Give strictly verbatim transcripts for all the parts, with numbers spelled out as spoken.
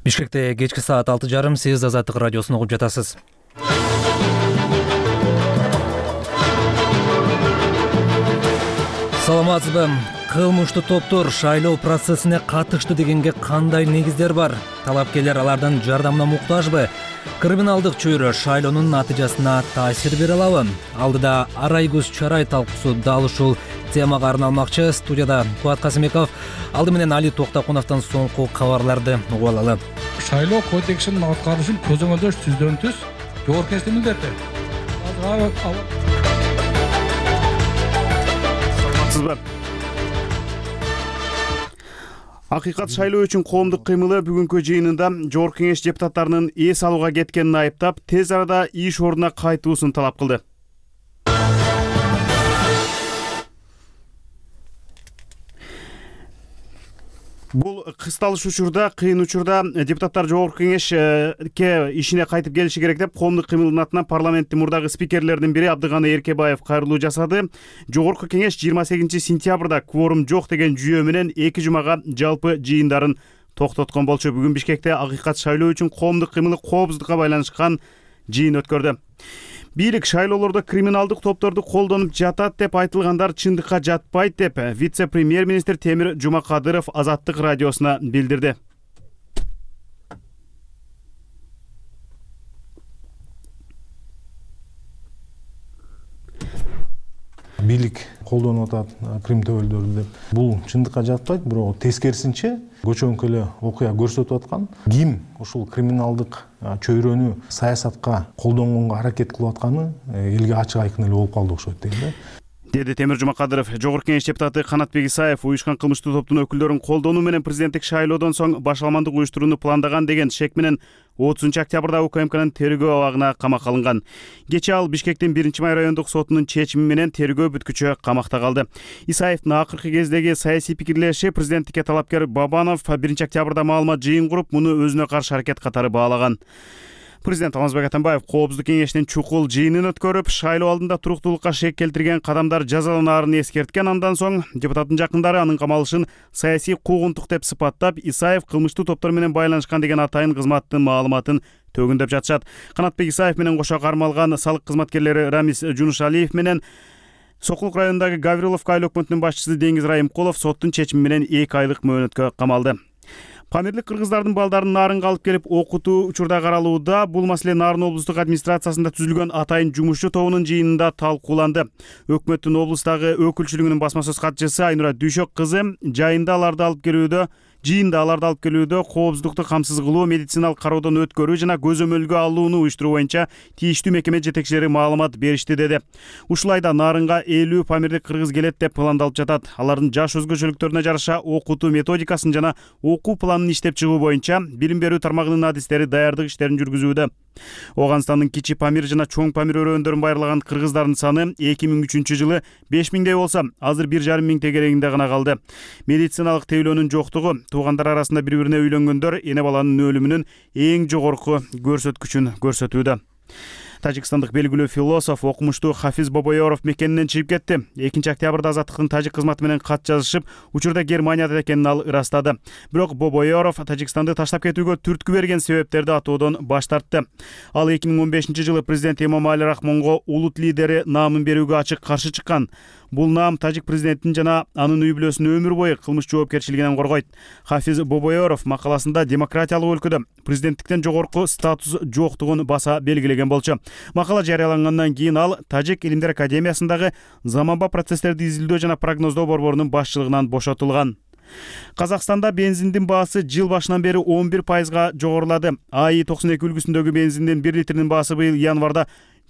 Бишкекте кечки саат алты жарым сиз Азаттык радиосун угуп жатасыз. Саламатсызбы? Кылмыштуу топтор шайлоо процессине катышты дегенге кандай негиздер бар? Талапкерлер алардын жардамына муктажбы? Криминалдык чөйрө шайлоонун натыйжасына таасир бере алабы? Алдыда арай көз чарай талкуусу дал ушул темага арналмакчы. Студияда Кубат Касымбеков, алды менен Али Токтокуновдон соңку кабарларды угуп алалы. Шайлоо кодексинин аткарышын көзөмөлдөш түздөн түз жогорку кеңештин милдети. Саламатсызбы? Акыйкат шайлоо үчүн коомдук кыймылы бүгүнкү жыйынында жогорку кеңеш депутаттарынын эс алууга кеткенин айыптап, тез арада иш ордуна кайтуусун талап кылды. Бул кысталыш учурда, кыйын учурда депутаттар жогорку кеңешке ишине кайтып келиши керек деп коомдук кыймылдын атынан парламенттин мурдагы спикерлердин бири Абдыганы Эркебаев кайрылуу жасады. Жогорку кеңеш жыйырма сегизинчи сентябрда кворум жок деген жүйө менен эки жумага жалпы жыйындарын токтоткон болчу. Бүгүн Бишкекте акыйкат шайлоо үчүн коомдук кыймылы коопсуздукка байланышкан жыйын өткөрдү. Бийлик шайлоолордо криминалдык топторду колдонуп жатат деп айтылгандар чындыкка жатпайт деп вице-премьер-министр Темир Жумакадыров Азаттык радиосуна билдирди. Бийлик колдонуп атат крим төбөлдөрү деп. Бул чындыкка жатпайт, бирок тескерисинче көчөңкү эле окуя көрсөтүп аткан. Ким ушул криминалдык чөйрөнү саясатка колдонгонго аракет кылып атканы элге ачык айкын эле болуп калды окшойт дейм да. Деди Темир Жумакадыров. Жогорку кеңеш депутаты Канатбек Исаев уюшкан кылмыштуу топтун өкүлдөрүн колдонуу менен президенттик шайлоодон соң башаламандык уюштурууну пландаган деген шек менен отузунчу октябрда УКМКнын тергөө абагына камакка алынган. Кечээ ал Бишкектин биринчи май райондук сотунун чечими менен тергөө бүткүчө камакта калды. Исаевдин акыркы кездеги саясий пикирлеши президенттикке талапкер Бабанов биринчи октябрда маалымат жыйын куруп, муну өзүнө каршы аракет катары баалаган. Президент Алмазбек Атамбаев коопсуздук кеңештин чукул жыйынын өткөрүп, шайлоо алдында туруктуулукка шек келтирген кадамдар жазаланаарын эскерткен. Андан соң депутаттын жакындары анын камалышын саясий куугунтук деп сыпаттап, Исаев кылмыштуу топтор менен байланышкан деген атайын кызматтын маалыматын төгүндөп жатышат. Канатбек Исаев менен кошо кармалган салык кызматкерлери Рамис Жунушалиев менен Сокулук районундагы Гавриловка айыл өкмөтүнүн башчысы Деңиз Райымкулов соттун чечими менен эки айлык мөөнөткө камалды. Памирлик кыргыздардын балдарын Нарынга алып келип окутуу учурда каралууда. Бул маселе Нарын облустук администрациясында түзүлгөн атайын жумушчу тобунун жыйынында талкууланды. Өкмөттүн облустагы өкүлчүлүгүнүн басма сөз катчысы Айнура Дүйшөк кызы жайында аларды алып келүүдө жыйында аларды алып келүүдө коопсуздукту камсыз кылуу, медициналык кароодон өткөрүү жана көзөмөлгө алууну уюштуруу боюнча тийиштүү мекеме жетекчилери маалымат беришти деди. Ушулайда Нарынга элүү памирлик кыргыз келет деп пландалып жатат. Алардын жаш өзгөчөлүктөрүнө жараша окутуу методикасын жана окуу планын иштеп чыгуу боюнча билим берүү тармагынын адистери даярдык иштерин жүргүзүүдө. Оганстандын Кичи Памир жана Чоң Памир өрөөндөрүн байырлаган кыргыздардын саны эки миң үчүнчү жылы беш миңдей болсо, азыр бир жарым миң тегерегинде гана калды. Медициналык тейлөөнүн жоктугу туугандар арасында бири-бирине үйлөнгөндөр эне баланын өлүмүнүн эң жогорку көрсөткүчүн көрсөтүүдө. Тажикстандык белгилүү философ, окумуштуу Хафиз Бобоёров мекенинен чыгып кетти. экинчи октябрда Азаттыктын тажик кызматы менен кат жазышып, учурда Германияда экенин ал ырастады. Бирок Бобоёров Тажикстанды таштап кетүүгө түрткү берген себептерди атоодон баш тартты. Ал эки миң он бешинчи жылы президент Эмомали Рахмонго улут лидери наамын берүүгө ачык каршы чыккан. Бул наам тажик президентин жана анын үй бүлөсүн өмүр бою кылмыш жоопкерчилигинен коргойт. Хафиз Бобоёров макаласында демократиялык өлкөдө президенттиктен жогорку статус жоктугун баса белгилеген болчу. Макала жарыялангандан кийин ал Тажик илимдер академиясындагы заманба процесстерди изилдөө жана прогноздоо борборунун башчылыгынан бошотулган. Казакстанда бензиндин баасы жыл башынан бери он бир пайызга жогорулады. АИ токсон эки үлгүсүндөгү бензиндин бир литринин баасы быйыл январда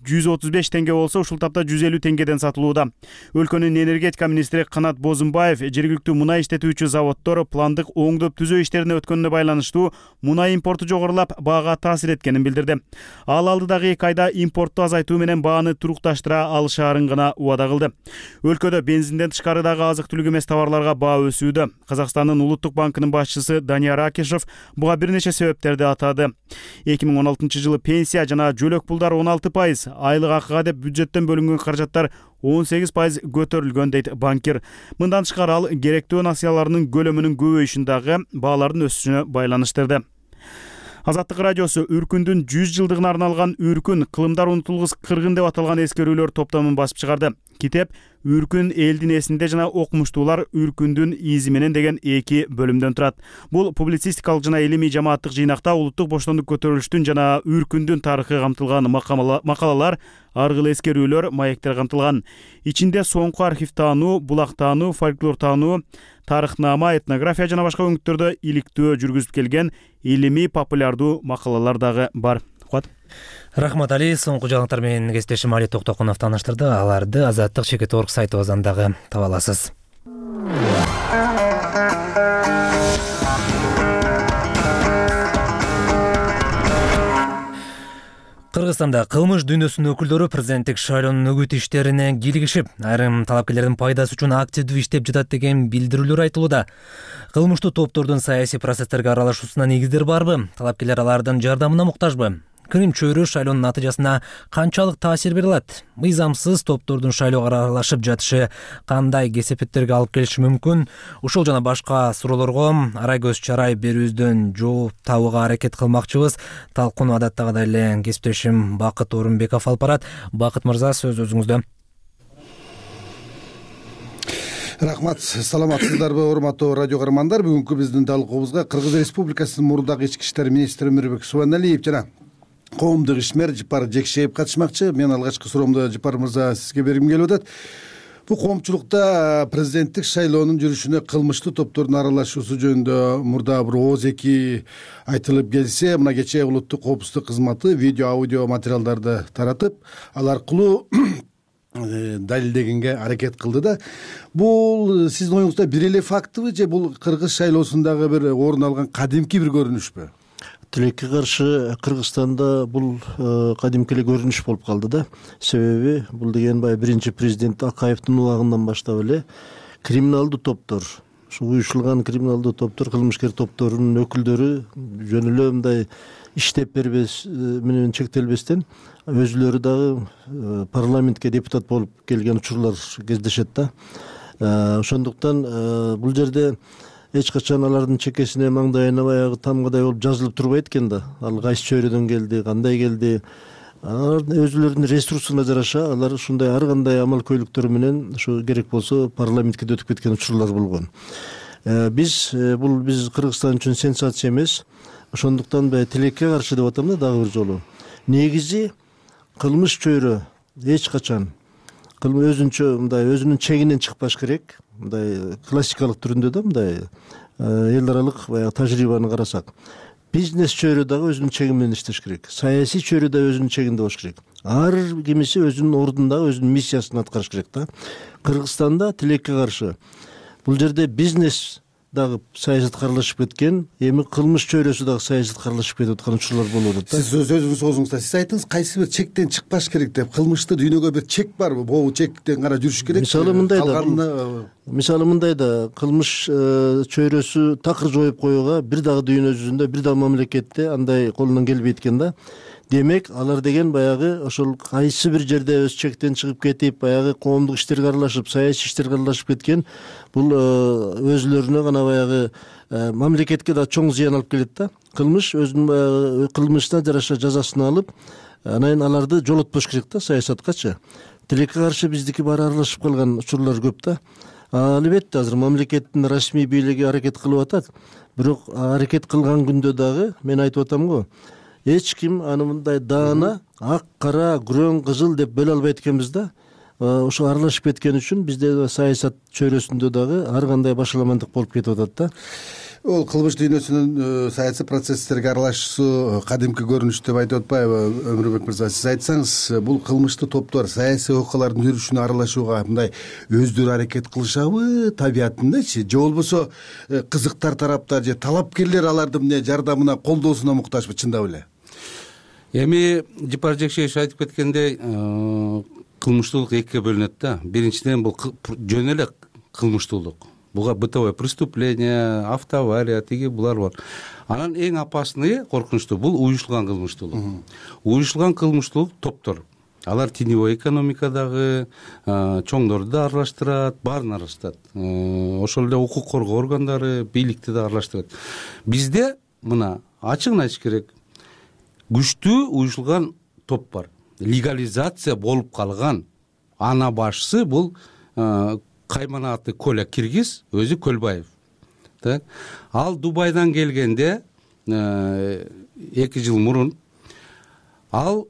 жүз отуз беш теңге болсо, ушул тапта жүз элүү теңгеден сатылууда. Өлкөнүн энергетика министри Канат Бозумбаев жергиликтүү мунай иштетүүчү заводдор пландык оңдоп түзөө иштерине өткөнүнө байланыштуу мунай импорту жогорулап, баага таасир эткенин билдирди. Ал алдыдагы эки айда импортту азайтуу менен бааны турукташтыра алышаарын гана убада кылды. Өлкөдө бензинден тышкарыдагы азык-түлүк эмес товарларга баа өсүүдө. Казакстандын улуттук банкынын башчысы Данияр Акишев буга бир нече себептерди атады. эки миң он алтынчы жылы пенсия жана жөлөк пулдар он алты пайыз, айлык акыга деп бюджеттен бөлүнгөн каражаттар он сегиз пайыз көтөрүлгөн дейт банкир. Мындан тышкары ал керектүү насыяларынын көлөмүнүн көбөйүшүн дагы баалардын өсүшүнө байланыштырды. Азаттык радиосу Үркүндүн жүз жылдыгына арналган Үркүн кылымдар унутулгус кыргын деп аталган эскерүүлөр топтомун басып чыгарды. Китеп Үркүн элдин эсинде жана окумуштуулар Үркүндүн изи менен деген эки бөлүмдөн турат. Бул публицистикалык жана илимий жамааттык жыйнакта улуттук боштондук көтөрүлүштүн жана Үркүндүн тарыхы камтылган макалалар, аргыл эскерүүлөр, маектер камтылган. Ичинде соңку архив таануу, булак таануу, фольклор таануу, тарыхнама, этнография жана башка өңүттөрдө иликтөө жүргүзүп келген илимий популярдуу макалалар дагы бар. Рахмат Али, соңку жаңылыктар менен кесиптешим Али Токтокунов тааныштырды. Аларды Азаттык чекит орг сайтыбыздан дагы таба аласыз. Кыргызстанда кылмыш дүйнөсүнүн өкүлдөрү президенттик шайлоонун үгүт иштерине кийлигишип, айрым талапкерлердин пайдасы үчүн активдүү иштеп жатат деген билдирүүлөр айтылууда. Кылмыштуу топтордун саясий процесстерге аралашуусуна негиздер барбы? Талапкерлер алардын жардамына муктажбы? Крим чөйрө шайлоонун натыйжасына канчалык таасир бере алат? Мыйзамсыз топтордун шайлоого аралашып жатышы кандай кесепеттерге алып келиши мүмкүн? Ушул жана башка суроолорго арай көз чарай берүүбүздөн жооп табууга аракет кылмакчыбыз. Талкууну адаттагыдай эле кесиптешим Бакыт Орунбеков алып барат. Бакыт мырза, сөз өзүңүздө. Рахмат, саламатсыздарбы, урматтуу радио каармандар. Бүгүнкү биздин талкуубузга Кыргыз Республикасынын мурдагы ички иштер министри Өмүрбек Субаналиев жана коомдук ишмер Жыпар Жекшеев катышмакчы. Мен алгачкы суроомду Жыпар мырза сизге бергим келип атат. Бул коомчулукта президенттик шайлоонун жүрүшүнө кылмыштуу топтордун аралашуусу жөнүндө мурда бир ооз эки айтылып келсе, мына кечээ улуттук коопсуздук кызматы видео аудио материалдарды таратып, ал аркылуу далилдегенге аракет кылды да. Бул сиздин оюңузда бир эле фактыбы же бул кыргыз шайлоосундагы бир орун алган кадимки бир көрүнүшпү? Тилекке каршы Кыргызстанда бул кадимки эле көрүнүш болуп калды да. Себеби бул деген баягы биринчи президент Акаевдин убагынан баштап эле криминалдуу топтор, ушу уюшулган криминалдуу топтор, кылмышкер топторунун өкүлдөрү жөн эле мындай иштеп бербес менен чектелбестен өзүлөрү дагы парламентке депутат болуп келген учурлар кездешет да. Ошондуктан бул жерде эч качан алардын чекесине, маңдайына баягы тамгадай болуп жазылып турбайт экен да. Ал кайсы чөйрөдөн келди, кандай келди. Алар өзүлөрүнүн ресурсуна жараша алар ушундай ар кандай амал көйлүктөр менен ушу керек болсо парламентке өтүп кеткен учурлар болгон. Биз бул биз Кыргызстан үчүн сенсация эмес. Ошондуктан тилекке каршы деп атам да дагы бир жолу. Негизи кылмыш чөйрө эч качан өзүнчө мындай өзүнүн чегинен чыкпаш керек. Мындай классикалык түрүндө да мындай эл аралык баягы тажрыйбаны карасак, бизнес чөйрө дагы өзүнүн чеги менен иштеш керек. Саясий чөйрө да өзүнүн чегинде болуш керек. Ар кимиси өзүнүн ордундагы өзүнүн миссиясын аткарыш керек да. Кыргызстанда тилекке каршы бул жерде бизнес дагы саясатка аралашып кеткен, эми кылмыш чөйрөсү дагы саясатка аралашып кетип аткан учурлар болуп атат да. Сиз өзүңүз оозуңузда сиз айттыңыз, кайсы бир чектен чыкпаш керек деп. Кылмыштуу дүйнөгө бир чек барбы? Бул чектен гана жүрүш керек. Мисалы мындай да. Мисалы мындай да, кылмыш чөйрөсү такыр жоюп коюуга бир дагы дүйнө жүзүндө, бир дагы мамлекетте андай колунан келбейт экен да. Демек, алар деген баягы ошол кайсы бир жерде өз чектен чыгып кетип, баягы коомдук иштерге аралашып, саясий иштерге аралашып кеткен, бул өзүлөрүнө гана баягы мамлекетке да чоң зыян алып келет да. Кылмыш өзүнүн кылмышына жараша жазасын алып, анан аларды жолотпош керек да саясаткачы. Тилекке каршы биздики баары аралашып калган учурлар көп да. Албетте азыр мамлекеттин расмий бийлиги аракет кылып атат. Бирок аракет кылган күндө дагы мен айтып атам го, эч ким аны мындай даана ак, кара, күрөң, кызыл деп бөлө албайт экенбиз да. Ошо аралашып кеткен үчүн бизде саясат чөйрөсүндө дагы ар кандай башаламандык болуп кетип атат да. Ол кылмыш дүйнөсүнүн саясий процесстерге аралашуусу кадимки көрүнүш деп айтып атпайбы Өмүрбек мырза? Сиз айтсаңыз, бул кылмыштуу топтор саясий окуялардын жүрүшүнө аралашууга мындай өздөрү аракет кылышабы табиятындачы, же болбосо кызыктар тараптар же талапкерлер алардын эмне жардамына, колдоосуна муктажбы чындап эле? Эми Жыпар Жекшеев айтып кеткендей, кылмыштуулук экиге бөлүнөт да. Биринчиден бул жөн эле кылмыштуулук. Буга бытовое преступление, автоавария, тиги булар бар. Анан эң опасный, коркунучтуу бул уюшулган кылмыштуулук. Уюшулган кылмыштуулук топтор. Алар теневой экономикадагы чоңдорду да аралаштырат, баарын аралаштырат. Ошол эле укук коргоо органдары, бийликти да аралаштырат. Бизде мына ачыгын айтыш керек, күчтүү уюшулган топ бар, легализация болуп калган. Ана башчысы бул Кайманаты Коля Киргиз, өзү Көлбаев. Так, ал Дубайдан келгенде эки жыл мурун, ал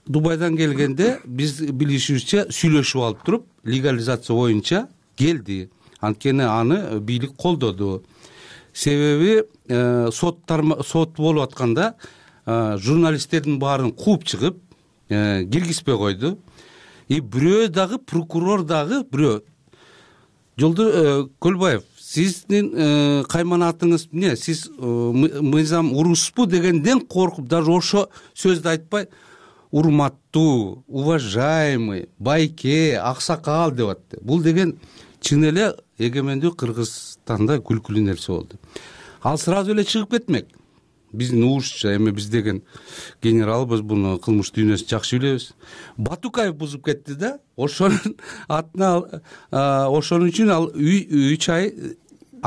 Дубайдан келгенде биз билишибизче сүйлөшүп алып туруп, легализация боюнча келди. Анткени аны бийлик колдоду. Себеби сот сот болуп атканда журналисттердин баарын кууп чыгып, киргизбей койду. И бирөө дагы, прокурор дагы бирөө жолдо Көлбаев, сиздин кайманатыңыз эмне, сиз мыйзам урушпу дегенден коркуп, даже ошо сөздү айтпай, урматтуу, уважаемый, байке, аксакал деп атты. Бул деген чын эле эгемендүү Кыргызстанда күлкүлүү нерсе болду. Ал сразу эле чыгып кетмек. Биздин угушча, эми биз деген генералбыз, буну кылмыш дүйнөсүн жакшы билебиз. Батукаев бузуп кетти да, ошонун атына, ошон үчүн ал үч ай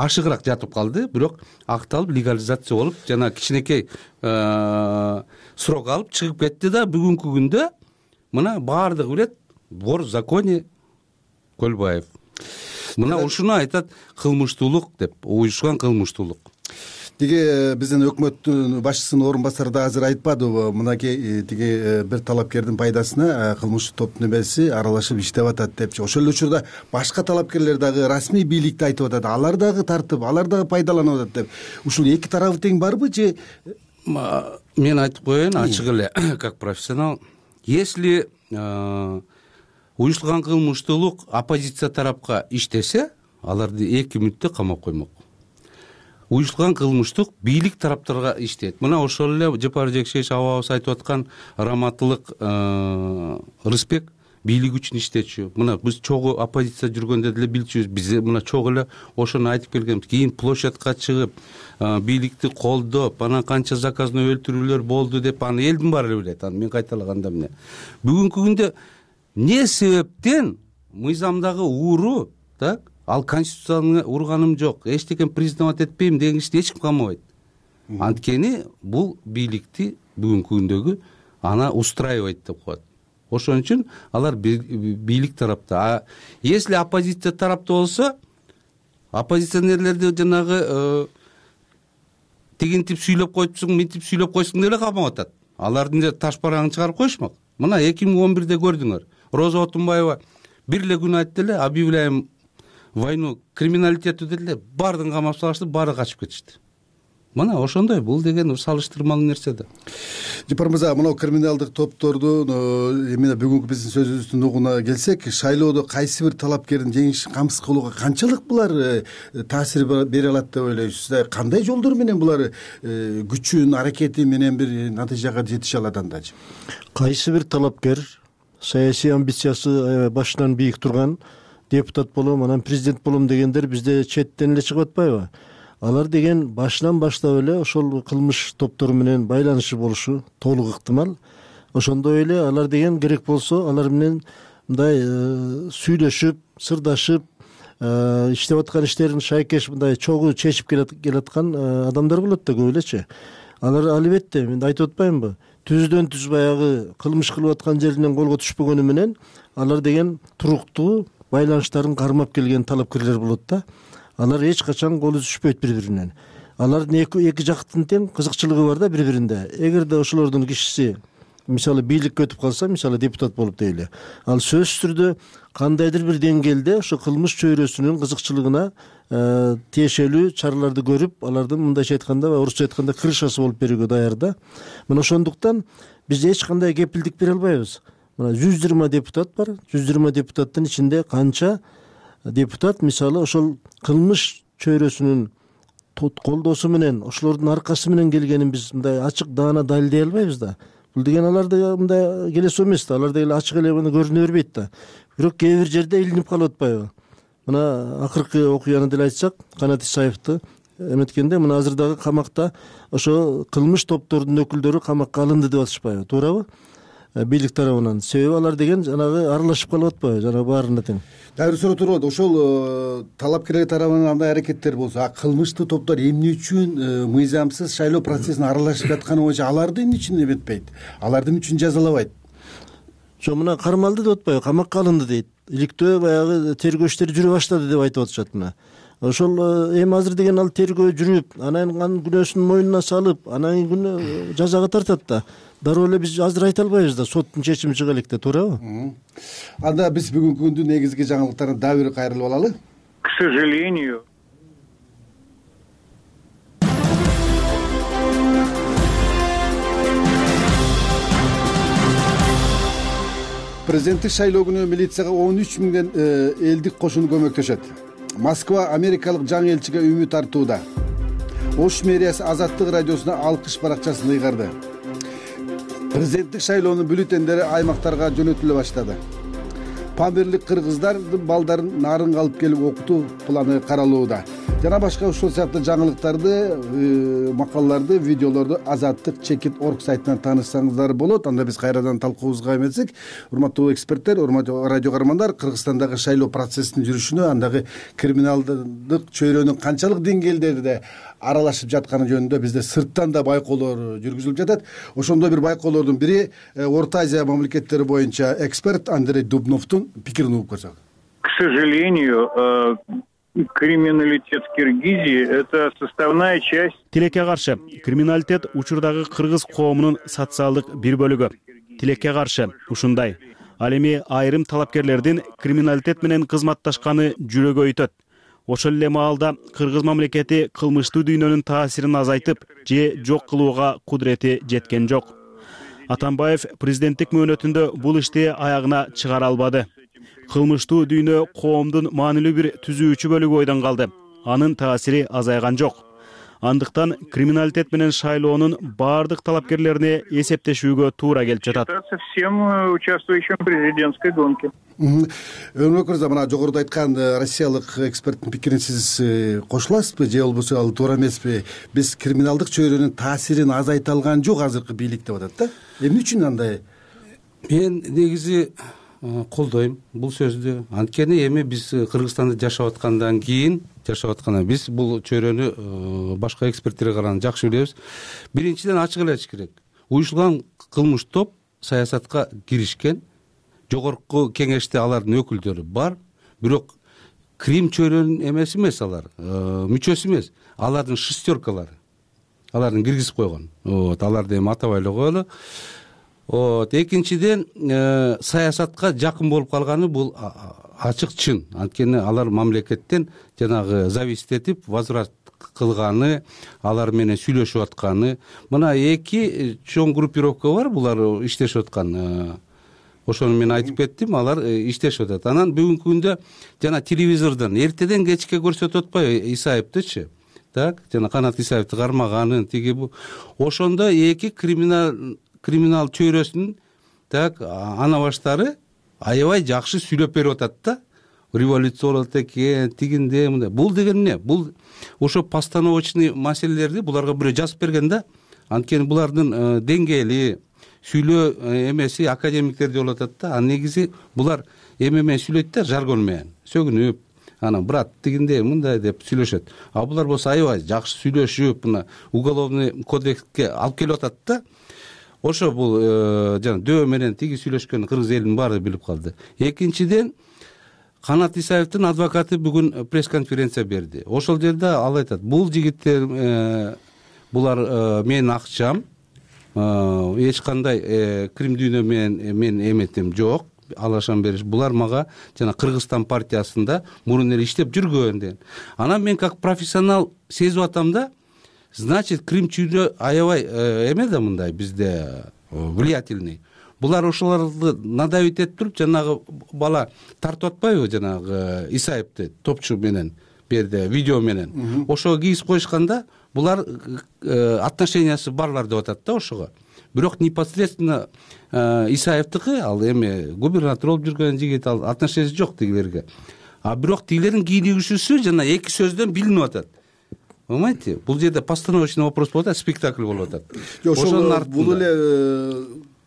ашыгыраак жатып калды, бирок акталып, легализация болуп, жана кичинекей срок алып чыгып кетти да, бүгүнкү күндө мына баардыгы билет, вор в законе Көлбаев. Мына ушуну айтат кылмыштуулук деп, уюшкан кылмыштуулук. Тиги биздин өкмөттүн башчысынын орун басары да азыр айтпадыбы, мынакей тиги бир талапкердин пайдасына кылмыштык топтун эмеси аралашып иштеп атат депчи. Ошол эле учурда башка талапкерлер дагы расмий бийликти айтып атат, алар дагы тартып, алар дагы пайдаланып атат деп. Ушул эки тарабы тең барбы же? Мен айтып коеюн ачык эле, как профессионал, если уюштурулган кылмыштуулук оппозиция тарапка иштесе, аларды эки мүнөттө камап коймок. Уюштурулган кылмыштык бийлик тараптарга иштейт. Мына ошол эле Жапар Жекшевич абабыз айтып аткан Раматылык Рыспек бийлик үчүн иштечү. Мына биз чогуу оппозиция жүргөндө деле билчүбүз. Биз мына чогуу эле ошону айтып келгенбиз. Кийин площадька чыгып, бийликти колдоп, анан канча заказной өлтүрүүлөр болду деп, аны элдин баары билет. Аны мен кайталаганда эмне. Бүгүнкү күндө не себептен мыйзамдагы ууру, так, ал конституцияны урганым жок, эчтекен признавать этпейм деген киши эч ким камабайт. Анткени бул бийликти бүгүнкү күндөгү ана устраивать деп коет. Ошон үчүн алар бийлик тарапта. А если оппозиция тарапта болсо, оппозиционерлерди жанагы тигинтип сүйлөп койтсуң, мынтип сүйлөп койсуң деле камап атат. Алардын таш барагын чыгарып коюшмак. Мына эки миң он бирде көрдүңөр. Роза Отунбаева бир эле күн айтты эле, объявляем войну криминалитету деди, баардыгын камап салышты, баары качып кетишти. Мына ошондой, бул деген салыштырмалуу нерсе да. Жапар мырза, мына криминалдык топторду эмне бүгүнкү биздин сөзүбүздүн угуна келсек, шайлоодо кайсы бир талапкердин жеңишин камсыз кылууга канчалык булар таасир бере алат деп ойлойсуз? Кандай жолдор менен булар күчүн, аракети менен бир натыйжага жетише алат андачы? Кайсы бир талапкер саясий амбициясы башынан бийик турган, депутат болом, анан президент болом дегендер бизде четтен эле чыгып атпайбы? Алар деген башынан баштап эле ошол кылмыш топтору менен байланышы болушу толук ыктымал. Ошондой эле алар деген керек болсо, алар менен мындай сүйлөшүп, сырдашып, иштеп аткан иштерин шайкеш мындай чогуу чечип келаткан адамдар болот да көп элечи. Алар албетте, мен айтып атпаймынбы, түздөн түз баягы кылмыш кылып аткан жеринен колго түшпөгөнү менен алар деген туруктуу байланыштарын кармап келген талапкерлер болот да. Алар эч качан колу түшпөйт бири-биринен. Алардын эки эки жактын тең кызыкчылыгы бар да бири-биринде. Эгерде ошолордун кишиси мисалы бийликке өтүп калса, мисалы депутат болуп дейли, ал сөзсүз түрдө кандайдыр бир деңгээлде ошо кылмыш чөйрөсүнүн кызыкчылыгына тиешелүү чараларды көрүп, алардын мындайча айтканда, орусча айтканда крышасы болуп берүүгө даяр да. Мына ошондуктан биз эч кандай кепилдик бере албайбыз. Мына жүз жыйырма депутат бар. жүз жыйырма депутаттын ичинде канча депутат мисалы ошол кылмыш чөйрөсүнүн колдоосу менен, ошолордун аркасы менен келгенин биз мындай ачык даана далилдей албайбыз да. Бул деген аларды мындай келесоо эмес да, алар деген ачык эле муну көрүнө бербейт да. Бирок кээ бир жерде илинип калып атпайбы? Мына акыркы окуяны деле айтсак, Канат Исаевди эметкенде мына азыр дагы камакта ошо кылмыш топтордун өкүлдөрү камакка алынды деп атышпайбы, туурабы? бийлик тарабынан. Себеби алар деген жанагы аралашып калып атпайбы, жанагы баарына тең. Дагы бир суроо туруп атат. Ошол талапкерлер тарабынан андай аракеттер болсо, а кылмыштуу топтор эмне үчүн мыйзамсыз шайлоо процессине аралашып жатканы боюнча аларды эмне үчүн эметпейт? Аларды эмне үчүн жазалабайт? Жок, мына кармалды деп атпайбы, камакка алынды дейт. Иликтөө баягы тергөө иштери жүрө баштады деп айтып атышат мына. Ошол эми азыр деген ал тергөө жүрүп, анан анын күнөөсүн мойнуна салып, анан күнөө жазага тартат да. Дароо эле биз азыр айта албайбыз да, соттун чечими чыга элек да, туурабы? Анда биз бүгүнкү күндүн негизги жаңылыктарына дагы бир кайрылып алалы. К сожалению, Президенттик шайлоо күнү милицияга он үч миңден элдик кошуну көмөктөшөт. Москва америкалык жаңы элчиге үмүт артууда. Ош мэриясы Азаттык радиосуна алкыш баракчасын ыйгарды. Президенттик шайлоонун бюллетендери аймактарга жөнөтүлө баштады. Памирлик кыргыздардын балдарын нарынга алып келип окутуу планы каралууда. Жана башка ушул сыяктуу жаңылыктарды, макалаларды, видеолорду Азаттык чекит орг сайтынан таанышсаңыздар болот. Анда биз кайрадан талкуубузга эметсек, урматтуу эксперттер, урматтуу радио каармандар, Кыргызстандагы шайлоо процессинин жүрүшүнө, андагы криминалдык чөйрөнүн канчалык деңгээлдерде аралашып жатканы жөнүндө бизде сырттан да байкоолор жүргүзүлүп жатат. Ошондой бир байкоолордун бири Орто Азия мамлекеттери боюнча эксперт Андрей Дубновдун пикирин угуп көрсөк. к сожалению, криминалитет в Киргизии – это составная часть. Тилекке каршы криминалитет учурдагы кыргыз коомунун социалдык бир бөлүгү. Тилекке каршы ушундай. Ал эми айрым талапкерлердин криминалитет менен кызматташканы жүрөгө өйтөт. Ошол эле маалда кыргыз мамлекети кылмыштуу дүйнөнүн таасирин азайтып же жок кылууга кудурети жеткен жок. Атамбаев президенттик мөөнөтүндө бул ишти аягына чыгара албады. Кылмыштуу дүйнө коомдун маанилүү бир түзүүчү бөлүгү бойдон калды. Анын таасири азайган жок. Андыктан криминалитет менен шайлоонун баардык талапкерлерине эсептешүүгө туура келип жатат. Всем участвующим в президентской гонке. Өрмөк мырза, мына жогоруда айткан россиялык эксперттин пикирин сиз кошуласызбы же болбосо ал туура эмеспи? Биз криминалдык чөйрөнүн таасирин азайта алган жок азыркы бийлик деп атат да. Эмне үчүн андай? Мен негизи колдойм бул сөздү. Анткени эми биз Кыргызстанда жашап аткандан кийин, жашап атканда биз бул чөйрөнү башка эксперттерге караганда жакшы билебиз. Биринчиден ачык эле айтыш керек. Уюштурулган кылмыш топ саясатка киришкен. Жогорку кеңеште алардын өкүлдөрү бар, бирок крим чөйрөнүн эмеси эмес алар, мүчөсү эмес. Алардын шестеркалары. Алардын киргизип койгон. Вот, аларды эми атабай эле коелу. Вот, экинчиден саясатка жакын болуп калганы бул ачык чын. Анткени алар мамлекеттен жанагы зависит этип возврат кылганы, алар менен сүйлөшүп атканы. Мына эки чоң группировка бар, булар иштешип аткан. Ошону мен айтып кеттим, алар иштешип атат. Анан бүгүнкү күндө жана телевизордон эртеден кечке көрсөтүп атпайбы Исаевдичи? Так, жана Канат Исаевди кармаганын тиги бу. Ошондо эки криминал криминал чөйрөсүнүн так ана баштары аябай жакшы сүйлөп берип атат да. Революция болот экен, тигинде мындай. Бул деген эмне? Бул ошо постановочный маселелерди буларга бирөө жазып берген да. Анткени булардын деңгээли сүйлөө эмеси академиктерде болуп атат да. Анын негизи булар эме менен сүйлөйт да, жаргон менен. Сөгүнүп, анан брат тигинде мындай деп сүйлөшөт. А булар болсо аябай жакшы сүйлөшүп, мына уголовный кодекске алып келип атат да. Ошо бул жана дөбө менен тиги сүйлөшкөн кыргыз элинин баары билип калды. Экинчиден Канат Исаевдин адвокаты бүгүн пресс-конференция берди. Ошол жерде ал айтат, бул жигиттер булар менин акчам, эч кандай крим дүйнө менен мен эметем жок, алашан бериш. Булар мага жана Кыргызстан партиясында мурун эле иштеп жүргөн деген. Анан мен как профессионал сезип атам да, значит, крим чүйрө аябай эме да мындай бизде влиятельный. Булар ошолорду надавить этип туруп, жанагы бала тартып атпайбы жанагы Исаевди топчу менен, берде видео менен. Ошого кийип коюшканда булар отношениясы барлар деп атат да ошого. Бирок непосредственно Исаевдики, ал эми губернатор болуп жүргөн жигит, ал отношениясы жок тигилерге. А бирок тигилердин кийинигүүсү жана эки сөздөн билинип атат. Понимаете? Бул жерде постановочный вопрос болуп атат, спектакль болуп атат. Ошол бул эле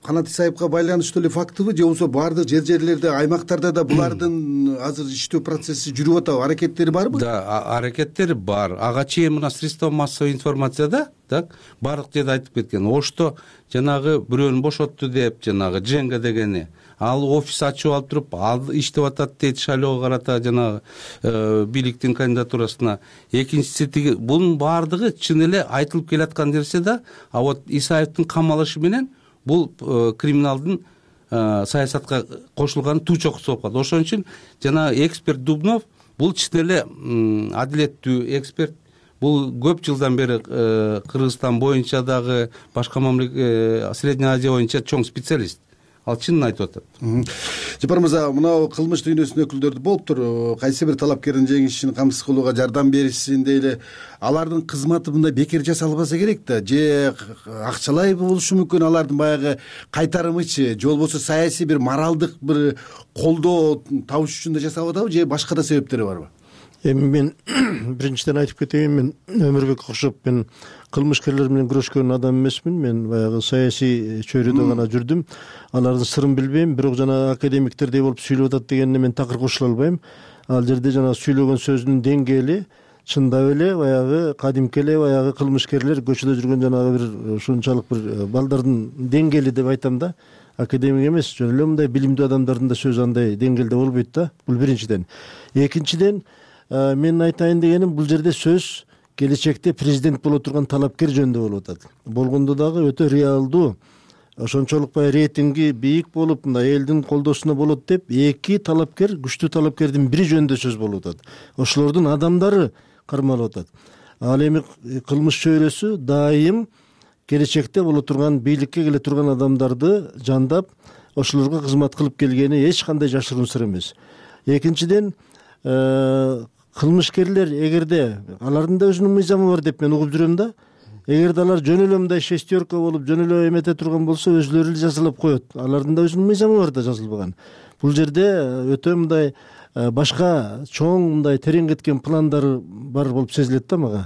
Канат Исаевга байланыштуу эле фактыбы, же болбосо баардык жер жерлерде, аймактарда да булардын азыр иштөө процесси жүрүп атабы, аракеттери барбы? Да, аракеттери бар. Ага чейин мына средства массовой информацияда так баардык жерде айтып кеткен. Ошто жанагы бирөөнү бошотту деп, жанагы Женга дегени ал офис ачып алып туруп, ал иштеп атат дейт шайлоого карата жанагы бийликтин кандидатурасына. Экинчиси тиги бунун баардыгы чын эле айтылып келаткан нерсе да, а вот Исаевдин камалышы менен бул криминалдын саясатка кошулганы туу чокусу болуп калды. Ошон үчүн жанагы эксперт Дубнов бул чын эле адилеттүү эксперт. Бул көп жылдан бери Кыргызстан боюнча дагы, башка мамлекет, Средняя Азия боюнча чоң специалист. Ал чынын айтып атат. Жапар мырза, мына кылмыш дүйнөсүнүн өкүлдөрү болуптур. Кайсы бир талапкердин жеңишин камсыз кылууга жардам беришсин дейли. Алардын кызматы мындай бекер жасалбаса керек да, же акчалай болушу мүмкүн, алардын баягы кайтарымычы, же болбосо саясий бир моралдык бир колдоо табыш үчүн да жасап атабы, же башка да себептери барбы? Эми мен биринчиден айтып кетейин, мен Өмүрбек окшоп мен кылмышкерлер менен күрөшкөн адам эмесмин. Мен баягы саясий чөйрөдө гана жүрдүм. Алардын сырын билбейм, бирок жана академиктердей болуп сүйлөп атат дегенде мен такыр кошула албайм. Ал жерде жана сүйлөгөн сөзүнүн деңгээли чындап эле баягы кадимки эле баягы кылмышкерлер көчөдө жүргөн жанагы бир ушунчалык бир балдардын деңгээли деп айтам да. Академик эмес, жөн эле мындай билимдүү адамдардын да сөзү андай деңгээлде болбойт да. Бул биринчиден. Экинчиден, мен айтайын дегеним, бул жерде сөз келечекте президент боло турган талапкер жөнүндө болуп атат. Болгондо дагы өтө реалдуу, ошончолук баягы рейтинги бийик болуп, мындай элдин колдоосуна болот деп эки талапкер, күчтүү талапкердин бири жөнүндө сөз болуп атат. Ошолордун адамдары кармалып атат. Ал эми кылмыш чөйрөсү дайым келечекте боло турган, бийликке келе турган адамдарды жандап, ошолорго кызмат кылып келгени эч кандай жашыруун сыр эмес. Экинчиден, кылмышкерлер эгерде алардын да өзүнүн мыйзамы бар деп мен угуп жүрөм да. Эгерде алар жөн эле мындай шестерка болуп, жөн эле эмете турган болсо, өзүлөрү эле жазалап коет. Алардын да өзүнүн мыйзамы бар да, жазылбаган. Бул жерде өтө мындай башка чоң мындай терең кеткен пландары бар болуп сезилет да мага.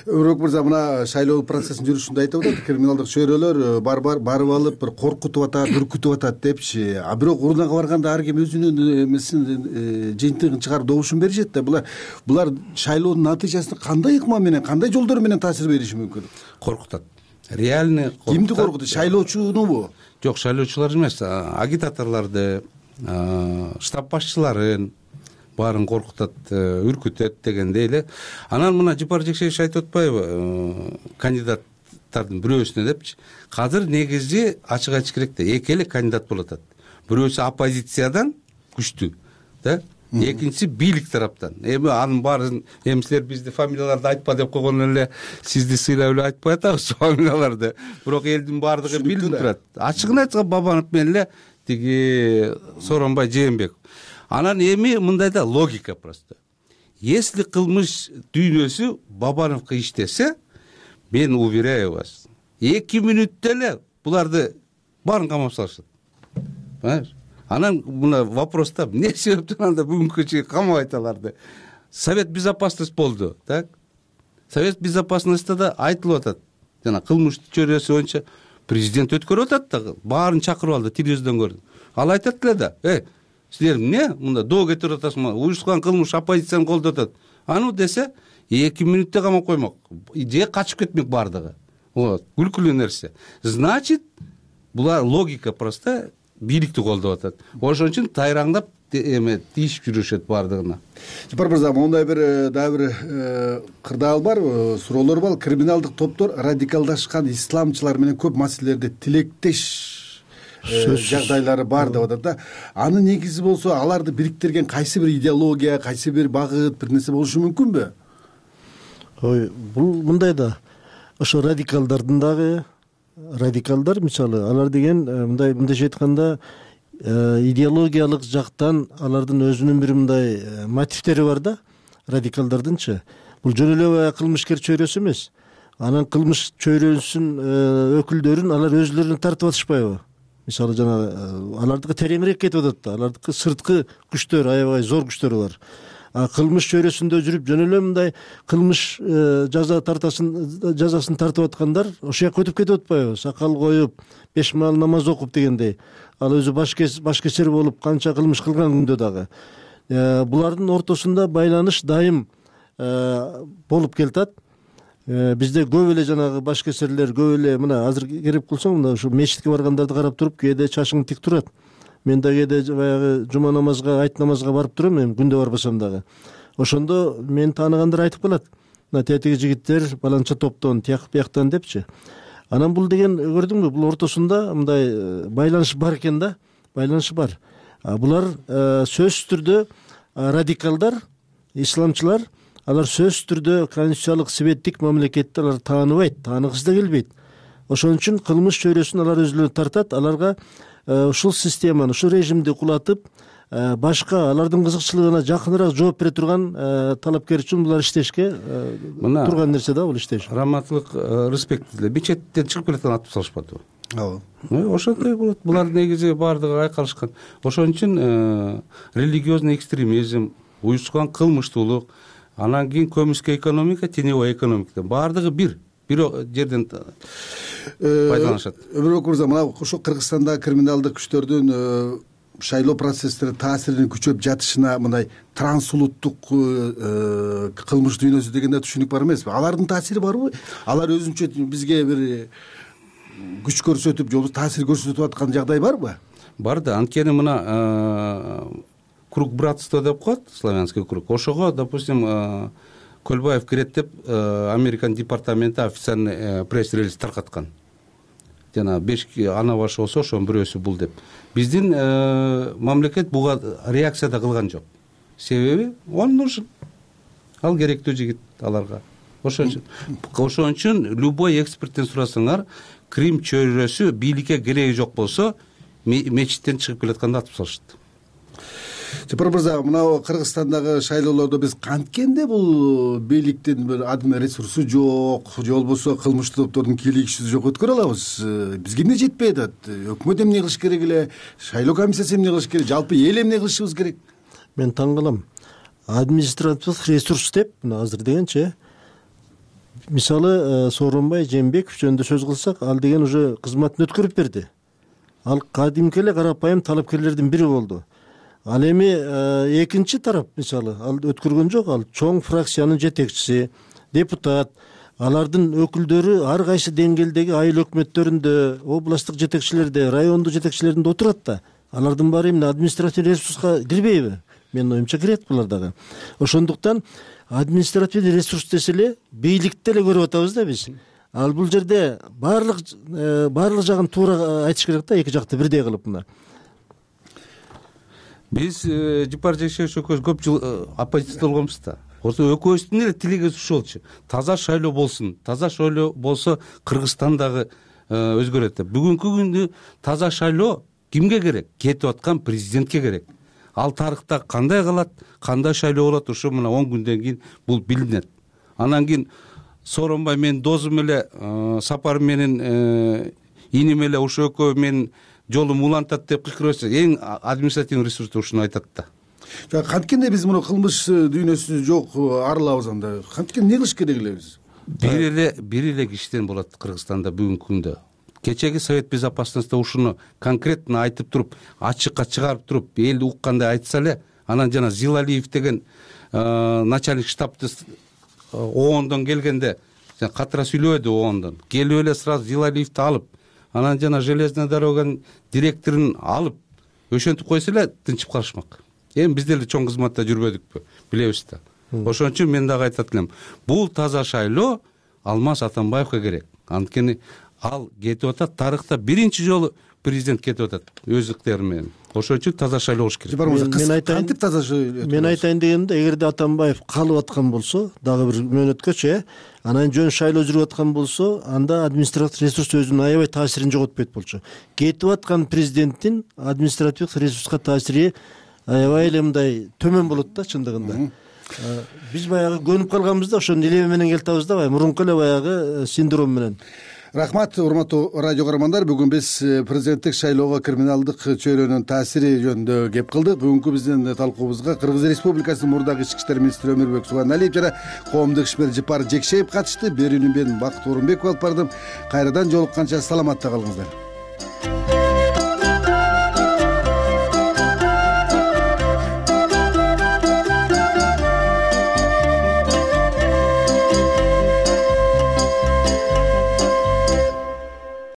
Өмүрбек мырза, мына шайлоо процессинин жүрүшүндө айтып атат, криминалдык чөйрөлөр бар бар барып алып бир коркутуп атат, үркүтүп атат депчи. А бирок урунага барганда ар ким өзүнүн эмесин, жыйынтыгын чыгарып добушун беришет да. Булар булар шайлоонун натыйжасына кандай ыкма менен, кандай жолдор менен таасир бериши мүмкүн? Коркутат. Реальный коркутат. Кимди коркутат? Шайлоочунубу? Жок, шайлоочулар эмес, агитаторлорду, штаб башчыларын баарын коркутат, үркүтөт дегендей эле. Анан мына Жапар Жекшеевич айтып атпайбы, кандидаттардын бирөөсүнө депчи. Азыр негизи ачык айтыш керек да, эки эле кандидат болуп атат. Бирөөсү оппозициядан күчтүү, да? Экинчиси бийлик тараптан. Эми анын баарын эми силер бизди фамилияларды айтпа деп койгон эле сизди сыйлап эле айтпай атабыз фамилияларды. Бирок элдин баардыгы билип турат. Ачыгын айтса Бабанов менен эле тиги Сооронбай Жээнбеков. Анан эми мындай да логика просто. Если кылмыш дүйнөсү Бабановго иштесе, мен уверяю вас, эки мүнөттө эле буларды баарын камап салышат. Понимаешь? Анан мына вопроста эмне себептен анда бүгүнкү чейин камабайт аларды? Совет безопасности болду, так? Совет безопасности да айтылып атат. Жана кылмыш чөйрөсү боюнча президент өткөрүп атат да, баарын чакырып алды, телевизордон көрдүм. Ал айтат эле да, э, силер эмне мында доо кетирип атасыңар, уюштурган кылмыш оппозицияны колдоп атат. Аны десе, эки мүнөттө камап коймок, же качып кетмек баардыгы. Вот, күлкүлүү нерсе. Значит, булар логика просто бийликти колдоп атат. Ошон үчүн тайраңдап эме тийишип жүрүшөт баардыгына. Жапар мырза, мондай бир дагы бир кырдаал бар, суроолор бар. Криминалдык топтор радикалдашкан исламчылар менен көп маселелерде тилектеш жагдайлары бар деп атат да. Анын негизи болсо, аларды бириктирген кайсы бир идеология, кайсы бир багыт, бир нерсе болушу мүмкүнбү? Ой, бул мындай да. Ошо радикалдардын дагы радикалдар, мисалы, алар деген мындай мындайча айтканда идеологиялык жактан алардын өзүнүн бир мындай мотивтери бар да, радикалдардынчы. Бул жөн эле кылмышкер чөйрөсү эмес. Анан кылмыш чөйрөсүнүн өкүлдөрүн алар өзлөрүнө тартып атышпайбы? Мисалы, жана алардыкы тереңирээк кетип атат да, алардыкы сырткы күчтөр, аябай зор күчтөр бар. кылмыш чөйрөсүндө жүрүп жөн эле мындай кылмыш жаза тартасын жазасын тартып аткандар ошол жака өтүп кетип атпайбы, сакал коюп беш маал намаз окуп дегендей, ал өзү башкечер болуп канча кылмыш кылган күндө дагы булардын ортосунда байланыш дайым болуп келатат. Бизде көп эле жанагы башкесерлер көп эле мына азыр кереп кылсаң мына ушу мечитке баргандарды карап туруп кээде чачың тик турат. Мен да кээде баягы жума намазга, айт намазга барып турам, эми күндө барбасам дагы. Ошондо мен тааныгандар айтып калат. Мына тетиги жигиттер баланча топтон, тияк бияктан депчи. Анан бул деген көрдүңбү, бул ортосунда мындай байланыш бар экен да, байланыш бар. Булар сөзсүз түрдө радикалдар, исламчылар, алар сөзсүз түрдө конституциялык себеттик мамлекетти алар тааныбайт, тааныгысы да келбейт. Ошон үчүн кылмыш чөйрөсүн алар өзүлөрү тартат. Аларга ушул системаны, ушул режимди кулатып, башка алардын кызыкчылыгына жакыныраак жооп бере турган талапкер үчүн булар иштешке турган нерсе да, бул иштеш. Раматтылык Рыспек деле мечеттен чыгып келаткан атып салышпадыбы? Ооба. Ошондой болот. Булар негизи баардыгы айкалышкан. Ошон үчүн религиозный экстремизм, уюшкан кылмыштуулук, анан кийин көмүскө экономика, теневой экономика баардыгы бир бир жерден пайдаланышат. Өмүрбек мырза, мына ошо Кыргызстанда криминалдык күчтөрдүн шайлоо процесстерине таасиринин күчөп жатышына мындай трансулуттук кылмыш дүйнөсү дегенде түшүнүк бар эмеспи? Алардын таасири барбы? Алар өзүнчө бизге бир күч көрсөтүп, же таасир көрсөтүп аткан жагдай барбы? Бар да, анткени мына круг братства деп коет, славянский круг. Ошого, допустим, Көлбаев кирет деп Американ департаменти официальный пресс-релиз таркаткан. Жана беш ана башы болсо ошонун бирөөсү бул деп. Биздин мамлекет буга реакция да кылган жок. Себеби он нужен. Ал керектүү жигит аларга. Ошон үчүн ошон үчүн любой эксперттен сурасаңар, Крим чөйрөсү бийликке кереги жок болсо, мечиттен чыгып келатканда атып салышат. Жапар мырза, мына Кыргызстандагы шайлоолордо биз канткенде бул бийликтин бир адым ресурсу жок, же болбосо кылмыштуу топтордун кийлигиши жок өткөрө алабыз. Бизге эмне жетпей атат? Өкмөт эмне кылыш керек эле? Шайлоо комиссиясы эмне кылыш керек? Жалпы эл эмне кылышыбыз керек? Мен таң калам. Административдик ресурс деп, мына азыр дегенчи, мисалы Сооронбай Жээнбеков жөнүндө сөз кылсак, ал деген уже кызматын өткөрүп берди. Ал кадимки эле карапайым талапкерлердин бири болду. Ал эми экинчи тарап, мисалы, ал өткөргөн жок, ал чоң фракциянын жетекчиси, депутат, алардын өкүлдөрү ар кайсы деңгээлдеги айыл өкмөттөрүндө, областтык жетекчилерде, райондук жетекчилеринде отурат да. Алардын баары эмне административдик ресурска кирбейби? Менин оюмча кирет булар дагы. Ошондуктан административдик ресурс десе эле бийликти эле көрүп атабыз да биз. Ал бул жерде баардык баардык жагын туура айтыш керек да, эки жакты бирдей кылып мына. Биз Жапар Жекшебиевич экөөбүз көп жыл оппозицияда болгонбуз да. Ошо экөөбүздүн эле тилегибиз ушул болчу. Таза шайлоо болсун. Таза шайлоо болсо Кыргызстан дагы өзгөрөт деп. Бүгүнкү күндө таза шайлоо кимге керек? Кетип аткан президентке керек. Ал тарыхта кандай калат, кандай шайлоо болот, ушу мына он күндөн кийин бул билинет. Анан кийин Сооронбай менин досум эле, Сапар менен иним эле ушу экөө менин жолум улантат деп кычкырып, эң административный ресурсту ушуну айтат да. Канткенде биз муну кылмыш дүйнөсү жок арылабыз анда. Канткенде эмне кылыш керек эле биз? Бир эле бир эле киштен болот Кыргызстанда бүгүнкү күндө. Кечеги Совет безопасности ушуну конкретно айтып туруп, ачыкка чыгарып туруп, эл уккандай айтса эле, анан жана Зилалиев деген начальник штабты оондон келгенде, катыра сүйлөбөдү оондон. Келип эле сразу Зилалиевди алып, анан жана железная дороганын директорун алып, өшөнтүп койсо эле тынчып калышмак. Эми биз деле чоң кызматта жүрбөдүкпү, билебиз да. Ошон үчүн мен дагы айтат элем, бул таза шайлоо Алмаз Атамбаевге керек. Анткени ал кетип атат, тарыхта биринчи жолу президент кетип атат өз ыктыяры менен. Ошон үчүн таза шайлоо болуш керек. Мен айтайын, кантип таза шайлоо? Мен айтайын дегенде, эгерде Атамбаев калып аткан болсо, дагы бир мөөнөткөчө, анан жөн шайлоо жүрүп аткан болсо, анда административдик ресурс өзүнүн аябай таасирин жоготпойт болчу. Кетип аткан президенттин административдик ресурска таасири аябай эле мындай төмөн болот да чындыгында. Биз баягы көнүп калганбыз да, ошону илеме менен келатабыз да, баягы мурунку эле баягы синдром менен. Рахмат, урматтуу радио көрөрмандар. Бүгүн биз президенттик шайлоого криминалдык чөйрөнүн таасири жөнүндө кеп кылдык. Бүгүнкү биздин талкуубузга Кыргыз Республикасынын мурдагы ички иштер министри Өмүрбек Субаналиев жана коомдук ишмер Жыпар Жекшеев катышты. Берүүнү мен Бакыт Орунбеков алып бардым. Кайрадан жолукканча саламатта калыңыздар.